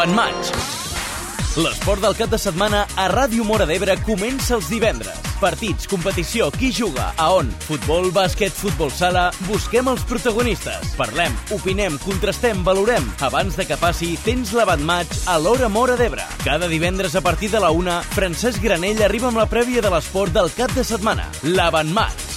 l'Avantmatch. L'esport del cap de setmana a Ràdio Móra d'Ebre comença els divendres. Partits, competició, qui juga, a on, futbol, bàsquet, futbol sala... Busquem els protagonistes. Parlem, opinem, contrastem, valorem. Abans de que passi, tens l'Avantmatch a l'Hora Móra d'Ebre. Cada divendres a partir de la 1, Francesc Granell arriba amb la prèvia de l'esport del cap de setmana. L'Avantmatch.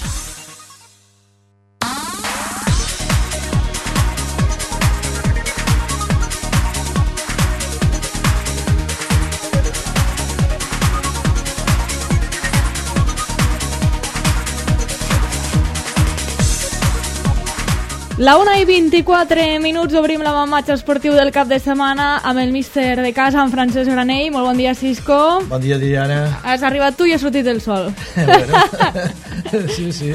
La 1:24 obrim l'Avantmatch esportiu del cap de setmana amb el míster de casa, en Francesc Granell. Molt bon dia, Cisco. Bon dia, Diana. Has arribat tu i ha sortit el sol. Bueno, sí.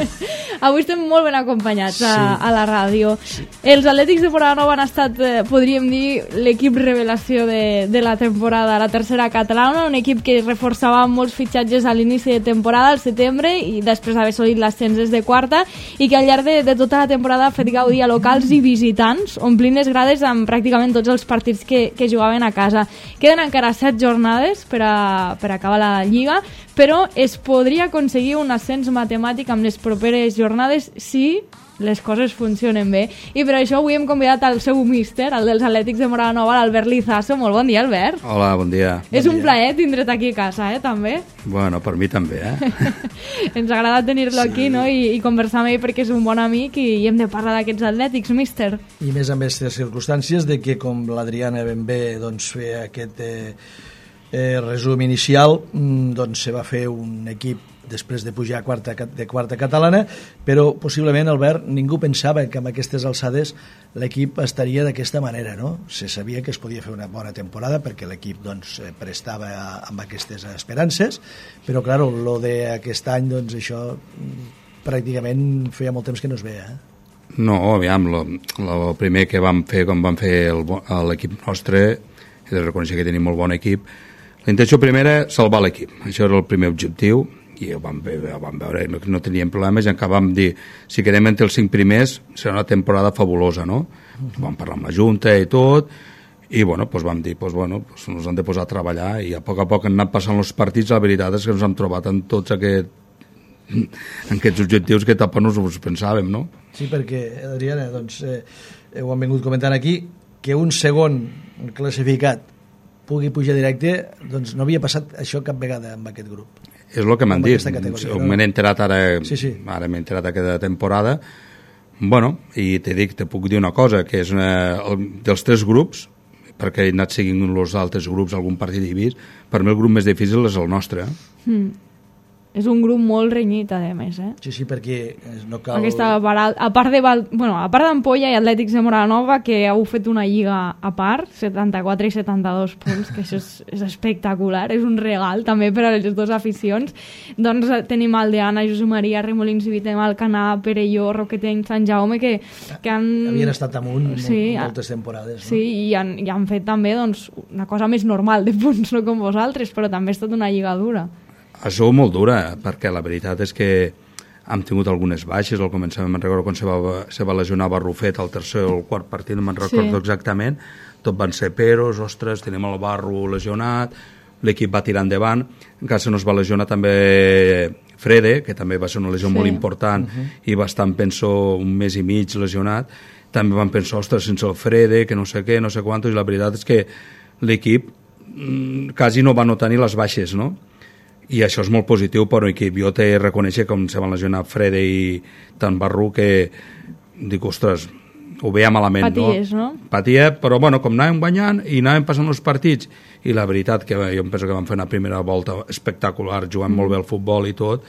Avui estem molt ben acompanyats a la ràdio. Sí. Els Atlètics de Móra han estat, podríem dir, l'equip revelació de la temporada, la tercera catalana, un equip que reforçava molts fitxatges a l'inici de temporada, al setembre, i després d'haver assolit l'ascens des de quarta, i que al llarg de tota la temporada ha fet gaudir a locals i visitants, omplint les grades amb pràcticament tots els partits que jugaven a casa. Queden encara 7 jornades per acabar la Lliga, però es podria aconseguir un ascens matemàtic amb les properes jornades si les coses funcionen bé. I per això avui hem convidat al seu míster, el dels Atlètics de Móra Nova, l'Albert Lizaso. Molt bon dia, Albert. Hola, bon dia. És un plaer tindre't aquí a casa, també. Bueno, per mi també, Ens agrada tenir-lo aquí, no? I conversar amb ell perquè és un bon amic i hem de parlar d'aquests Atlètics, míster. I més a més les circumstàncies de que, com l'Adriana ben bé feia aquest resum inicial, doncs se va fer un equip després de pujar de quarta catalana, però possiblement, Albert, ningú pensava que amb aquestes alçades l'equip estaria d'aquesta manera, no? Se sabia que es podia fer una bona temporada perquè l'equip prestava amb aquestes esperances, però clar, lo d'aquest any, doncs això pràcticament feia molt temps que no es veia, No, aviam, el primer que vam fer, com vam fer l'equip nostre, he de reconèixer que tenim molt bon equip. La intenció primera era salvar l'equip, això era el primer objectiu, i ho vam veure, no teníem problemes, i encara vam dir, si quedem entre els 5 primers serà una temporada fabulosa, no? Vam parlar amb la Junta i tot, i bueno, vam dir, ens hem de posar a treballar, i a poc han anat passant els partits. La veritat és que ens hem trobat en tots aquests objectius que tampoc no us pensàvem, no? Sí, perquè, Adriana, doncs, ho han vingut comentant aquí, que un segon classificat pugui pujar directe, doncs no havia passat això cap vegada amb aquest grup. És el que m'han dit, m'he enterat ara, ara m'he enterat aquesta temporada. Bueno, i te puc dir una cosa, que és dels 3 grups, perquè he anat seguint els altres grups, algun partit he vist, per mi el grup més difícil és el nostre. És un grup molt renyit, a més, Sí, perquè no cal... A part d'Ampolla i Atlètics de Móra Nova, que heu fet una lliga a part, 74 i 72 punts, que això és espectacular, és un regal també per a les dues aficions. Doncs tenim Aldeana, Josep Maria, Remolins i Vitem, Alcanar, Perelló, Roquetenc, Sant Jaume, que han... Havien estat amunt moltes temporades, no? Sí, i han fet també una cosa més normal de punts, no com vosaltres, però també ha estat una lliga dura. Ha sigut molt dura, perquè la veritat és que hem tingut algunes baixes. Al començament me'n recordo quan se va lesionar Barrufet al tercer o el quart partit, no me'n recordo exactament, tot van ser peros, ostres, tenim el Barro lesionat, l'equip va tirar endavant, encara se nos va lesionar també Frede, que també va ser una lesió molt important, i va estar, penso, un mes i mig lesionat. També van pensar, ostres, sense el Frede, que no sé què, no sé quantos, i la veritat és que l'equip quasi no va notar ni les baixes, no? I això és molt positiu per un equip. Jo t'he de reconèixer com se van lesionar Frede i tant Barru, que dic, ostres, ho veia malament. Paties, no? Patia, però bueno, com anàvem guanyant i anàvem passant els partits, i la veritat que jo penso que vam fer una primera volta espectacular, jugant molt bé al futbol i tot,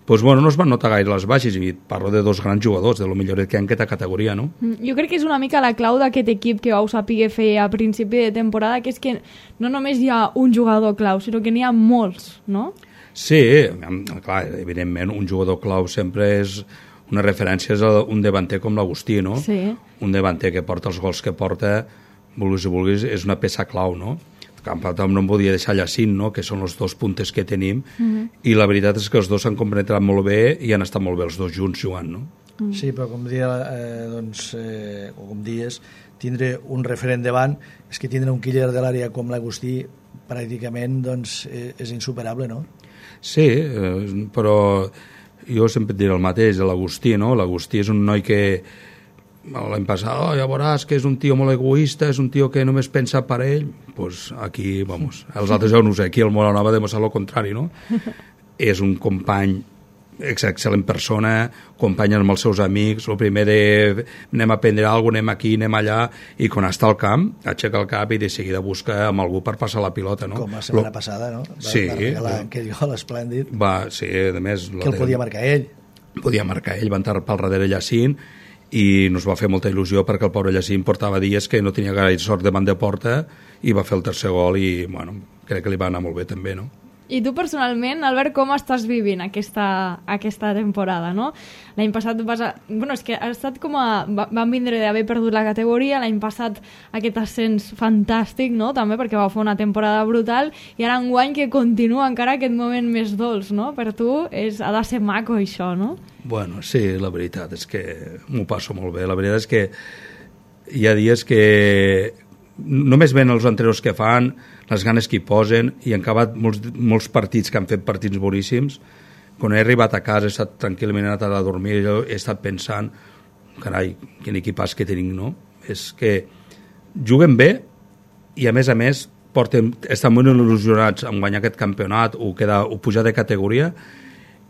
doncs bueno, no es van notar gaire les baixes, i parlo de 2 grans jugadors, de lo millor que hi ha en aquesta categoria, no? Jo crec que és una mica la clau d'aquest equip que vau saber fer a principi de temporada, que és que no només hi ha un jugador clau, sinó que n'hi ha molts, no? Sí, clar, evidentment un jugador clau sempre és una referència a un davanter com l'Agustí, no? Sí. Un davanter que porta els gols que porta, vulguis, és una peça clau, no? No em podia deixar Llacín, no? Que són els 2 puntes que tenim, i la veritat és que els 2 s'han compenetrat molt bé i han estat molt bé els 2 junts jugant, no? Sí, però com dia, o com dies, tindre un referent davant, és que tindre un killer de l'àrea com l'Agustí pràcticament doncs, és insuperable, no? Sí, però jo sempre et diré el mateix, l'Agustí, no? L'Agustí és un noi que l'any passat, ja veuràs que és un tio molt egoista, és un tio que només pensa per ell, pues aquí, vamos, els altres jo no sé, aquí el Moranova ha demostrat el contrari, no? És un company excel·lent persona, company amb els seus amics, el primer de anem a aprendre alguna cosa, anem aquí, anem allà, i quan està al camp, aixeca el cap i de seguida busca amb algú per passar la pilota, no? Com la setmana passada, no? Sí. Va regalar aquell gol esplèndid. Sí, a més... Que el podia marcar ell. Podia marcar ell, va entrar pel darrere Llacín, i nos va fer molta il·lusió perquè el pobre Llacín portava dies que no tenia gaire sort davant de porta i va fer el tercer gol i, bueno, crec que li va anar molt bé també, no? I tu personalment, Albert, com estàs vivint aquesta temporada, no? L'any passat bueno, és que ha estat com van vindre d'haver perdut la categoria, l'any passat aquest ascens fantàstic, no? També perquè va fer una temporada brutal, i ara enguany que continua encara aquest moment més dolç, no? Per tu ha de ser maco això, no? Bueno, sí, la veritat és que m'ho passo molt bé. La veritat és que hi ha dies que només ven els entrenadors que fan, les ganes que hi posen, i han acabat molts partits que han fet partits boníssims. Quan he arribat a casa he estat tranquil·lament anat a dormir, jo he estat pensant, carai, quin equipàs que tenim, no? És que juguen bé i a més estan molt il·lusionats en guanyar aquest campionat o pujar de categoria,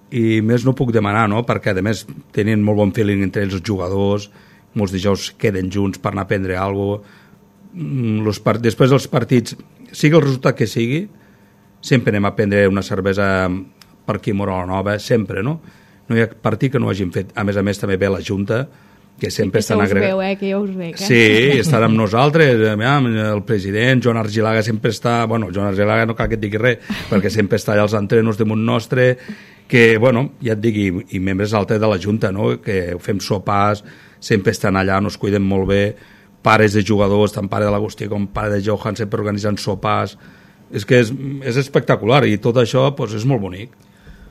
i més no puc demanar, no? Perquè a més tenen molt bon feeling entre els jugadors, molts dijous queden junts per anar a prendre alguna cosa. Després dels partits, sigui el resultat que sigui, sempre anem a prendre una cervesa per aquí a Moranova, sempre, no? No hi ha partit que no hagin fet. A més també ve la Junta, que sempre estan agregant. Que ja us veu, Sí, estan amb nosaltres, el president, Joan Argilaga sempre està... Bueno, Joan Argilaga no cal que et digui res, perquè sempre està allà als entrenos damunt nostre, que, bueno, ja et digui, i membres altres de la Junta, no?, que fem sopars, sempre estan allà, nos cuiden molt bé, pares de jugadors, tant pare de l'Agustí com pare de Johan, sempre organitzant sopars. És que és espectacular, i tot això pues, és molt bonic.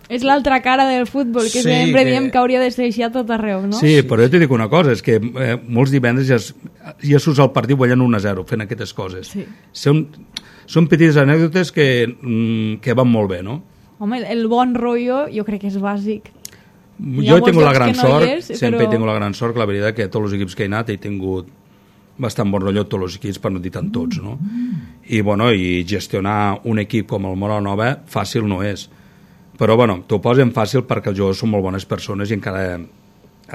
És l'altra cara del futbol, que sí, sempre diem que hauria de ser així a tot arreu, no? Sí, però jo t'hi dic una cosa, és que molts divendres ja surts al partit guanyant 1-0 fent aquestes coses. Sí. Són petites anècdotes que van molt bé, no? Home, el bon rotllo jo crec que és bàsic. Jo he tingut la gran sort, sempre he tingut la gran sort, que la veritat que tots els equips que he anat he tingut bastant bon rotllo tots els equips, per no dir tant tots, no? I, bueno, i gestionar un equip com el Moranova fàcil no és. Però, bueno, t'ho posen fàcil perquè els jugadors són molt bones persones i encara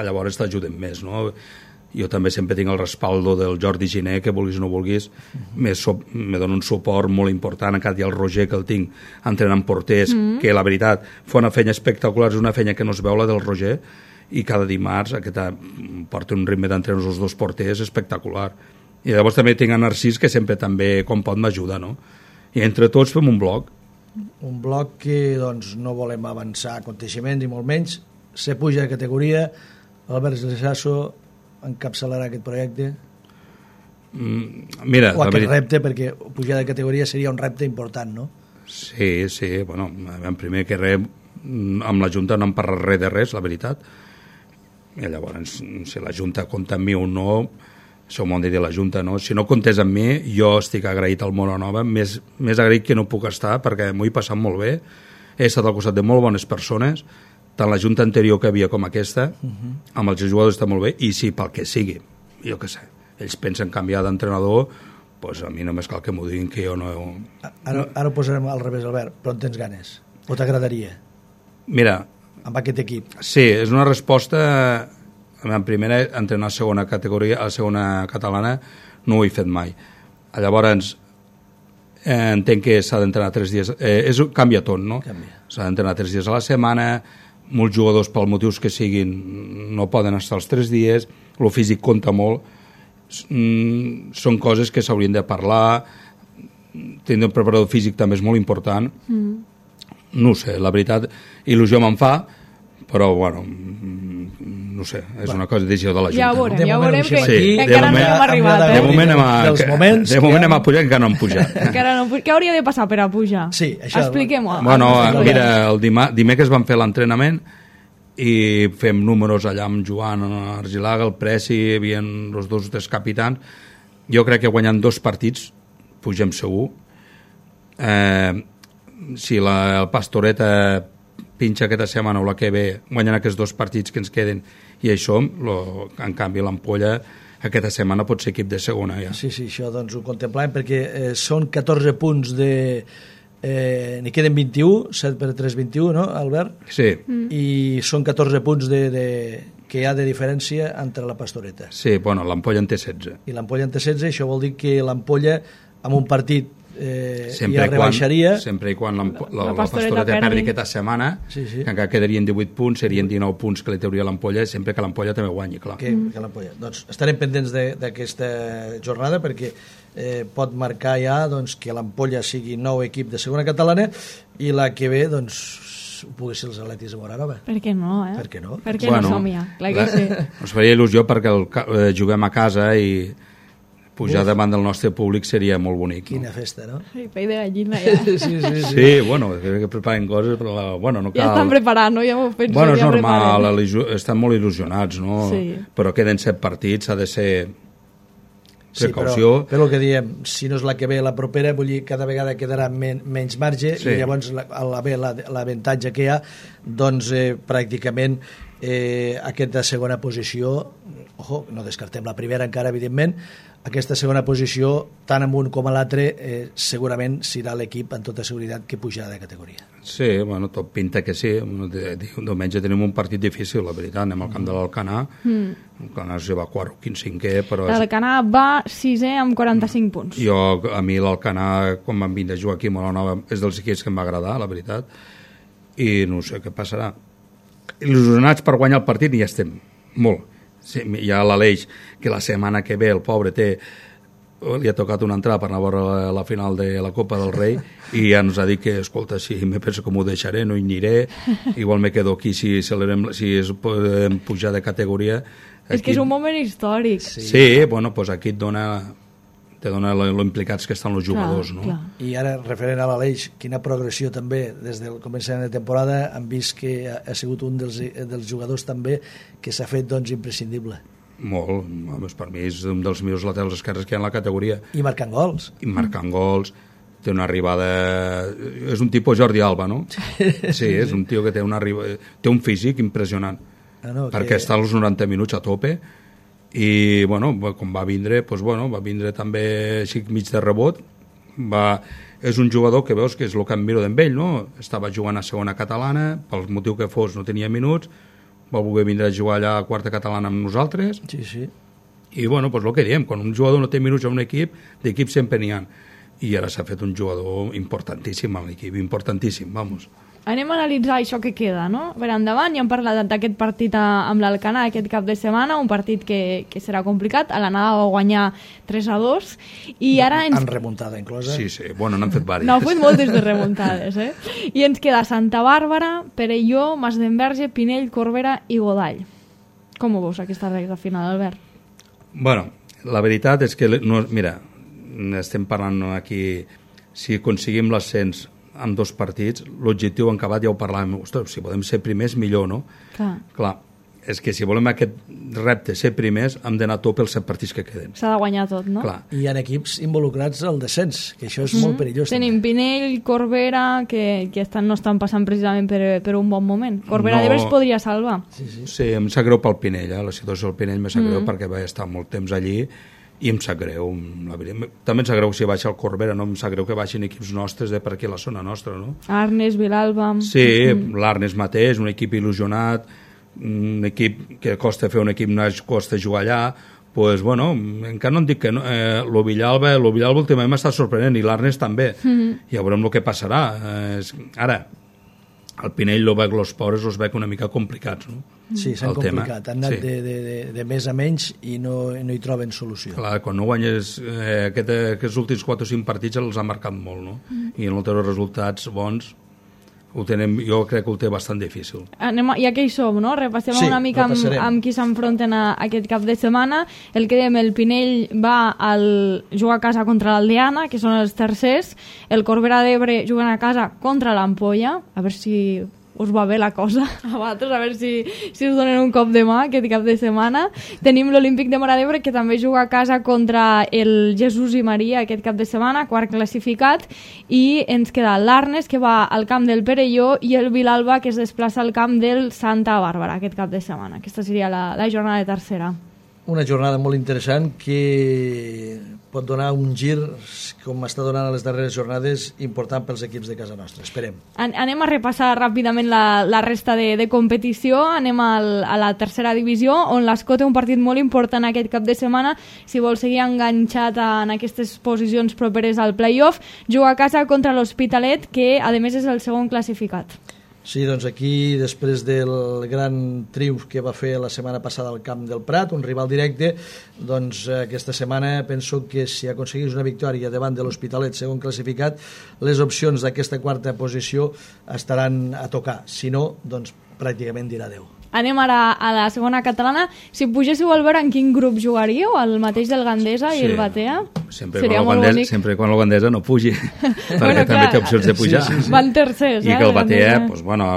llavors t'ajuden més, no? Jo també sempre tinc el respaldo del Jordi Giné, que vulguis o no vulguis, me dona un suport molt important, encara hi ha el Roger, que el tinc entrenant porters, que la veritat fa una feina espectacular, és una feina que no es veu, la del Roger, i cada dimarts porta un ritme d'entrenos els dos porters espectacular. I llavors també tinc a Narcís, que sempre també, com pot, m'ajuda, no? I entre tots fem un bloc. Un bloc que doncs, no volem avançar aconteixements i molt menys. Se puja de categoria, Albert Lesasso encapçalarà aquest projecte? Mira, o aquest repte, perquè pujar de categoria seria un repte important, no? Sí, bueno, en primer que res, amb la Junta no hem parlat res de res, la veritat. I llavors, si la Junta compta amb mi o no, això m'ho han de dir la Junta, no? Si no comptés amb mi, jo estic agraït al Moranova, més agraït que no puc estar, perquè m'ho he passat molt bé, he estat al costat de molt bones persones, tant la Junta anterior que havia com aquesta, amb els jugadors està molt bé, i si pel que sigui, jo què sé, ells pensen canviar d'entrenador, doncs a mi només cal que m'ho diguin, que jo no... Ara ho posarem al revés, Albert, però en tens ganes? O t'agradaria? Mira... Amb aquest equip? Sí, és una resposta... En primera, entrenar a segona categoria, a segona catalana, no ho he fet mai. Llavors, entenc que s'ha d'entrenar 3 dies... canvia tot, no? S'ha d'entrenar 3 dies a la setmana, molts jugadors, pel motius que siguin, no poden estar els 3 dies, el físic compta molt, són coses que s'haurien de parlar, tenir un preparador físic també és molt important, no ho sé, la veritat, il·lusió me'n fa, però, bueno, no sé, és una cosa decisió de la Junta. Ja veurem que encara no hem arribat. De moment hem a pujar, encara no hem pujat. Què hauria de passar per a pujar? Sí, això... Expliquem-ho. Bueno, mira, el dimecres vam fer l'entrenament i fem números allà amb Joan Argilaga, el Preci, hi havia els 2 o 3 capitans, Jo crec que guanyant 2 partits pugem segur. Si el Pastoreta pinxa aquesta setmana o la que ve, guanyant aquests 2 partits que ens queden i hi som, en canvi l'Ampolla aquesta setmana pot ser equip de segona ja. Sí, això doncs ho contemplàvem perquè són 14 punts n'hi queden 21, 7 per 3, 21, no, Albert? Sí. I són 14 punts que hi ha de diferència entre la Pastoreta. Sí, bueno, l'Ampolla en té 16. I l'Ampolla en té 16, això vol dir que l'Ampolla amb un partit ja rebaixaria. Sempre i quan la Pastoreta perdi aquesta setmana, que encara quedarien 18 punts, serien 19 punts que li trauria l'Ampolla, sempre que l'Ampolla també guanyi, clar. Que l'Ampolla. Doncs estarem pendents d'aquesta jornada perquè pot marcar ja doncs, que l'Ampolla sigui nou equip de segona catalana i la que ve doncs pugui ser els Atlètics de Moranova. Per què no, Per què no? Per què no som ja? Clar que sí. Ens faria il·lusió perquè juguem a casa i pujar davant del nostre públic seria molt bonic. Quina festa, no? Sí, pell de gallina ja. Sí, bueno, que preparen coses, però bueno, no cal... Ja estan preparant, no? Ja m'ho penso. Bueno, és normal, estan molt il·lusionats, no? Sí. Però queden 7 partits, s'ha de ser precaució. Sí, però el que diem, si no és la que ve la propera, vull dir, cada vegada quedarà menys marge i llavors l'avantatge que hi ha, doncs pràcticament aquesta segona posició, no descartem la primera encara, evidentment, aquesta segona posició, tant en un com a l'altre, segurament serà l'equip amb tota seguretat que pujarà de categoria. Sí, bueno, tot pinta que sí. Diumenge tenim un partit difícil, la veritat. Anem al camp de l'Alcanar. L'Alcanar es va 4 o 5è, però... L'Alcanar va 6è amb 45 punts. A mi l'Alcanar, quan vam vindre a jugar aquí a Molanova, és dels equips que em va agradar, la veritat. I no sé què passarà. Il·lusionats per guanyar el partit i ja estem. Molt. Sí, hi ha l'Aleix, que la setmana que ve el pobre li ha tocat una entrada per anar a veure la final de la Copa del Rei i ja ens ha dit que, escolta, si me penso com ho deixaré, no hi aniré, igual me quedo aquí si podem pujar de categoria. És que és un moment històric. Sí, bueno, doncs aquí te dona lo implicats que estan els jugadors, no? Clar. I ara, referent a l'Aleix, quina progressió també des del començament de temporada, han vist que ha sigut un dels jugadors també que s'ha fet doncs imprescindible. Molt, per mi és un dels millors laterals esquerres que hi ha en la categoria. I marcant gols. Té una arribada... És un tipus Jordi Alba, no? Sí, és un tio que té un físic impressionant, perquè està als 90 minuts a tope. I bueno, com va vindre també així mig de rebot, és un jugador que veus que és el que em miro d'en ell, no? Estava jugant a segona catalana, pel motiu que fos no tenia minuts, va voler vindre a jugar allà a quarta catalana amb nosaltres. Sí. I bueno, doncs el que diem, quan un jugador no té minuts a un equip, d'equip sempre n'hi ha, i ara s'ha fet un jugador importantíssim a l'equip, importantíssim, vamos. Anem a analitzar això que queda, no? Per endavant, ja hem parlat d'aquest partit amb l'Alcanar aquest cap de setmana, un partit que serà complicat. A l'anada va guanyar 3-2 i ara en remuntada inclosa. Sí, bueno, n'han fet diverses. No, han fet moltes de remuntades, I ens queda Santa Bàrbara, Perelló, Masdenverge, Pinell, Corbera i Godall. Com ho veus, aquesta recta final, Albert? Bueno, la veritat és que, mira, estem parlant aquí, si aconseguim l'ascens amb 2 partits, l'objectiu en acabat ja ho parlàvem, ostres, si podem ser primers millor, no? Clar, és que si volem aquest repte, ser primers, hem d'anar a tope els 7 partits que queden. S'ha de guanyar tot, no? Clar. I hi ha equips involucrats al descens, que això és molt perillós. Tenim Pinell, Corbera, que no estan passant precisament per un bon moment. Corbera d'Ebre es podria salvar. Sí, em sap greu pel Pinell, la situació del Pinell em sap greu perquè va estar molt temps allí i em sap greu, també em sap greu si baixa el Corbera, no em sap greu que baixin equips nostres de per aquí a la zona nostra, no? Arnes, Vilalba... Sí, l'Arnes mateix, un equip il·lusionat, un equip que costa fer un equip, no costa jugar allà, doncs, bueno, encara no em dic que no, lo Villalba últimament m'està sorprenent, i l'Arnes també, ja veurem el que passarà. Ara, el Pinell els pobres els veig una mica complicats, no? Sí, s'han complicat, han anat de més a menys i no hi troben solució. Clar, quan no guanyes aquests últims 4 o 5 partits els ha marcat molt, no? I en els resultats bons jo crec que ho té bastant difícil. Ja que hi som, no? Repassem una mica amb qui s'enfronten aquest cap de setmana. El que dèiem, el Pinell va jugar a casa contra l'Aldeana, que són els tercers. El Corbera d'Ebre jugant a casa contra l'Ampolla, a veure si us va bé la cosa a vosaltres, a veure si us donen un cop de mà aquest cap de setmana. Tenim l'Olímpic de Móra d'Ebre, que també juga a casa contra el Jesús i Maria aquest cap de setmana, quart classificat, i ens queda l'Arnes, que va al camp del Perelló, i el Vilalba, que es desplaça al camp del Santa Bàrbara aquest cap de setmana. Aquesta seria la jornada de tercera. Una jornada molt interessant que pot donar un gir, com està donant a les darreres jornades, important pels equips de casa nostra. Esperem. Anem a repassar ràpidament la resta de competició. Anem a la tercera divisió, on l'Escó té un partit molt important aquest cap de setmana. Si vol seguir enganxat en aquestes posicions properes al play-off, juga a casa contra l'Hospitalet, que a més és el segon classificat. Sí, doncs aquí, després del gran triomf que va fer la setmana passada al camp del Prat, un rival directe, doncs aquesta setmana penso que si aconseguís una victòria davant de l'Hospitalet, segon classificat, les opcions d'aquesta quarta posició estaran a tocar. Si no, doncs pràcticament dirà adeu. Anem ara a la segona catalana. Si pugéssiu al veure, en quin grup jugaríeu? El mateix del Gandesa i el Batea? Sempre quan el Gandesa no pugi, perquè també té opcions de pujar. Sí. Van tercers, I que el Batea, doncs, bueno,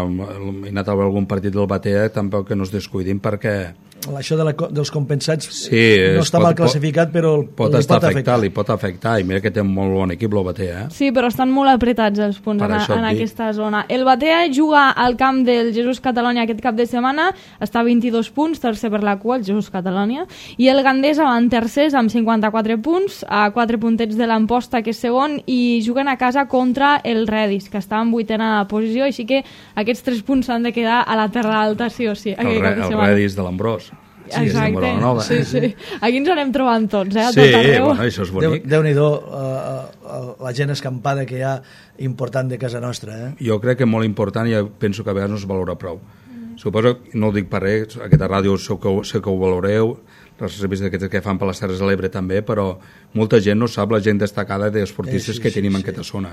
he anat a veure algun partit del Batea, tampoc que no es descuidin, perquè això dels compensats no està mal classificat, però li pot afectar, i mira que té un molt bon equip el Batea. Sí, però estan molt apretats els punts en aquesta zona. El Batea juga al camp del Jesús Catalònia aquest cap de setmana, està a 22 punts, tercer per la cua, el Jesús Catalònia, i el Gandesa van tercers amb 54 punts, a 4 puntets de l'Amposta, que és segon, i juguen a casa contra el Redis, que està en 8a posició, així que aquests 3 punts s'han de quedar a la terra alta, sí o sí. El Redis de l'Ambrós. Sí, exacte, sí. Aquí ens anem trobant tots, a tot arreu. Bueno, això és bonic. Déu-n'hi-do la gent escampada que hi ha important de casa nostra. Jo crec que molt important, i penso que a vegades no es valora prou. Suposo, no ho dic per res, aquesta ràdio sé que ho valoreu, les revistes que fan per les Terres de l'Ebre també, però molta gent no sap la gent destacada d'esportistes que tenim en aquesta zona.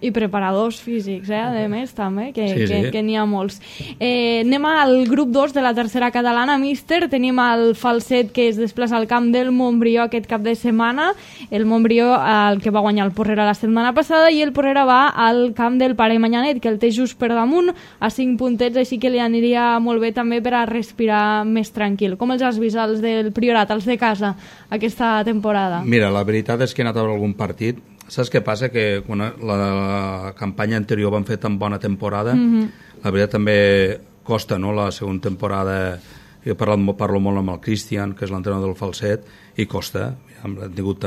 I preparadors físics, a més també, que n'hi ha molts. Anem al grup 2 de la tercera catalana, míster. Tenim el Falset, que es desplaça al camp del Montbrió aquest cap de setmana. El Montbrió, el que va guanyar el Porrera la setmana passada, i el Porrera va al camp del Pare Manyanet, que el té just per damunt, a 5 puntets, així que li aniria molt bé també per a respirar més tranquil. Com els has vist, els del Priorat, els de casa, aquesta temporada? Mira, la veritat és que he anat a veure algun partit. Saps què passa? Que quan la campanya anterior van fer tan bona temporada, la veritat també costa, no?, la segona temporada. Jo parlo molt amb el Cristian, que és l'entrenador del Falset, i costa. Han tingut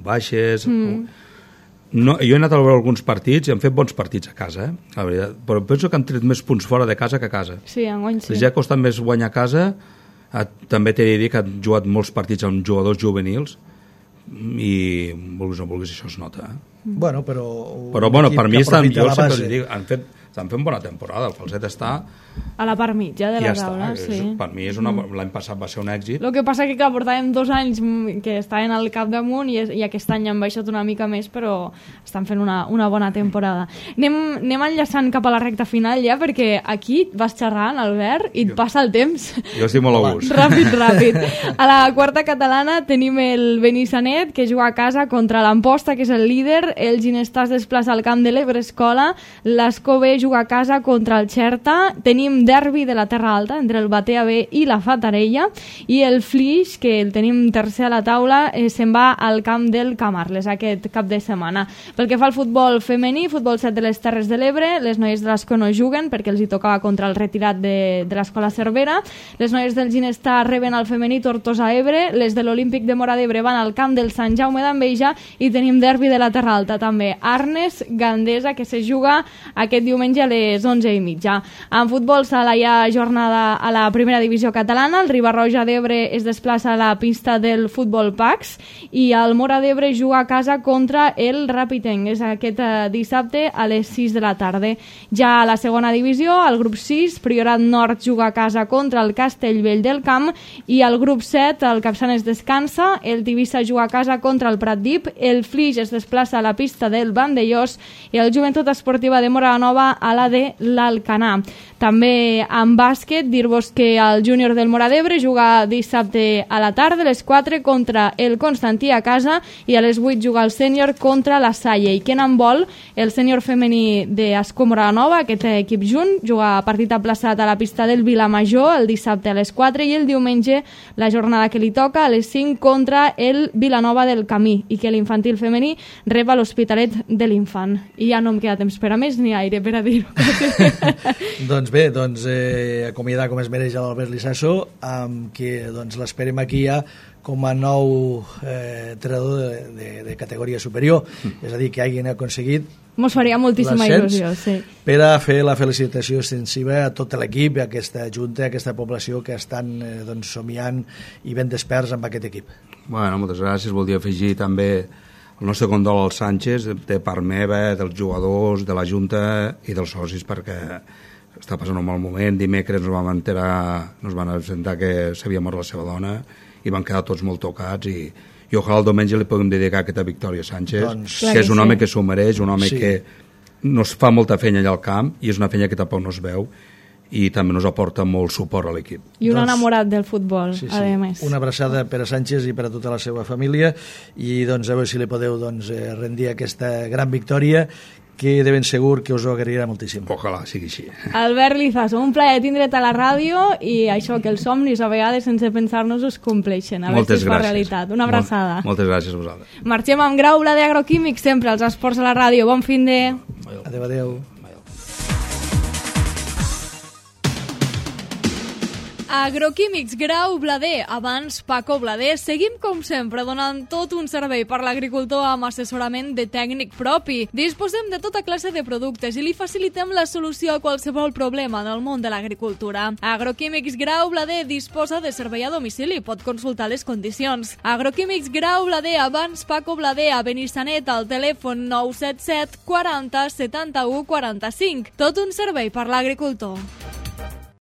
baixes. No, jo he anat a veure alguns partits i han fet bons partits a casa, la veritat. Però penso que han tret més punts fora de casa que a casa. Sí, enguany sí. Ja ha costat més guanyar a casa. També t'he de dir que han jugat molts partits amb jugadors juvenils i vulguis o no vulguis això es nota. Bueno, però per mi jo sempre li dic, estan fent bona temporada, el Falset està a la part mitja de la taula, sí. Per mi l'any passat va ser un èxit. El que passa que portàvem 2 anys que estaven al capdamunt i aquest any han baixat una mica més, però estan fent una bona temporada. Anem enllaçant cap a la recta final ja, perquè aquí vas xerrant, Albert, i et passa el temps. Jo estic molt a gust. Ràpid. A la quarta catalana tenim el Benissanet, que juga a casa contra l'Amposta, que és el líder. El Ginestar es desplaça al camp de l'Ebre Escola. l'Escó B juga a casa contra el Xerta. Tenim derbi de la Terra Alta entre el Batea B i la Fatarella, i el Flix, que el tenim tercer a la taula, se'n va al camp del Camarles aquest cap de setmana. Pel que fa al futbol femení, futbol 7 de les Terres de l'Ebre, les noies de l'Escó no juguen perquè els hi tocava contra el retirat de l'Escola Cervera. Les noies del Ginestar reben al femení Tortosa Ebre, les de l'Olímpic de Móra d'Ebre van al camp del Sant Jaume d'Enveja, i tenim derbi de la Terra Alta també, Arnes Gandesa, que se juga aquest diumenge a les 11:30. En futbol sala hi ha jornada a la primera divisió catalana. El Riba-roja d'Ebre es desplaça a la pista del Futbol Pax i el Móra d'Ebre juga a casa contra el Ràpitenc. És aquest dissabte a les 6 de la tarda. Ja a la segona divisió, al grup 6, Priorat Nord juga a casa contra el Castellvell del Camp, i al grup 7, el Capçanes descansa, el Tivissa juga a casa contra el Pratdip, el Flix es desplaça a la pista del Vandellós i el Joventut Esportiva de Móra la Nova a la de l'Alcanar. També També en bàsquet, dir-vos que el júnior del Móra d'Ebre juga dissabte a la tarda a les 4 contra el Constantí a casa i a les 8 juga el sènior contra la Salle. I que en handbol, el sènior femení d'Escó Móra Nova, aquest equip junt, juga partit aplaçat a la pista del Vilamajor el dissabte a les 4 i el diumenge la jornada que li toca a les 5 contra el Vilanova del Camí, i que l'infantil femení rep a l'Hospitalet de l'Infant. I ja no em queda temps per a més ni aire per a dir-ho. Doncs bé, acomiadar com es mereix a l'Albert Lissasso, amb qui l'esperem aquí ja com a nou entrenador de categoria superior, és a dir, que hagin aconseguit mos faria moltíssima il·lusió, sí. Per a fer la felicitació extensiva a tot l'equip, a aquesta junta, a aquesta població que estan somiant i ben desperts amb aquest equip. Bueno, moltes gràcies. Voldria afegir també el nostre condol al Sánchez, de part meva, dels jugadors, de la junta i dels socis, perquè està passant un mal moment. Dimecres nos van avisar que s'havia mort la seva dona i van quedar tots molt tocats i ojalà el diumenge li puguem dedicar aquesta victòria a Sánchez, que és un home que s'ho mereix, un home que nos fa molta feina allà al camp i és una feina que tampoc no es veu i també nos aporta molt suport a l'equip. I un enamorat del futbol, a més. Una abraçada per a Sánchez i per a tota la seva família i a veure si li podeu rendir aquesta gran victòria que de ben segur que us ho agrairà moltíssim. Ojalà sigui així. Albert Lizaso, un plaer tindre't a la ràdio i això, que els somnis a vegades sense pensar-nos es compleixen. A veure si es fa realitat. Una abraçada. Moltes gràcies a vosaltres. Marxem amb Grau Blader Agroquímics, sempre als esports a la ràdio. Bon fin de... Adéu, adéu. Agroquímics Grau Blader, abans Paco Blader. Seguim, com sempre, donant tot un servei per l'agricultor amb assessorament de tècnic propi. Disposem de tota classe de productes i li facilitem la solució a qualsevol problema en el món de l'agricultura. Agroquímics Grau Blader disposa de servei a domicili, pot consultar les condicions. Agroquímics Grau Blader, abans Paco Blader, a Benissanet, al telèfon 977 40 71 45. Tot un servei per l'agricultor.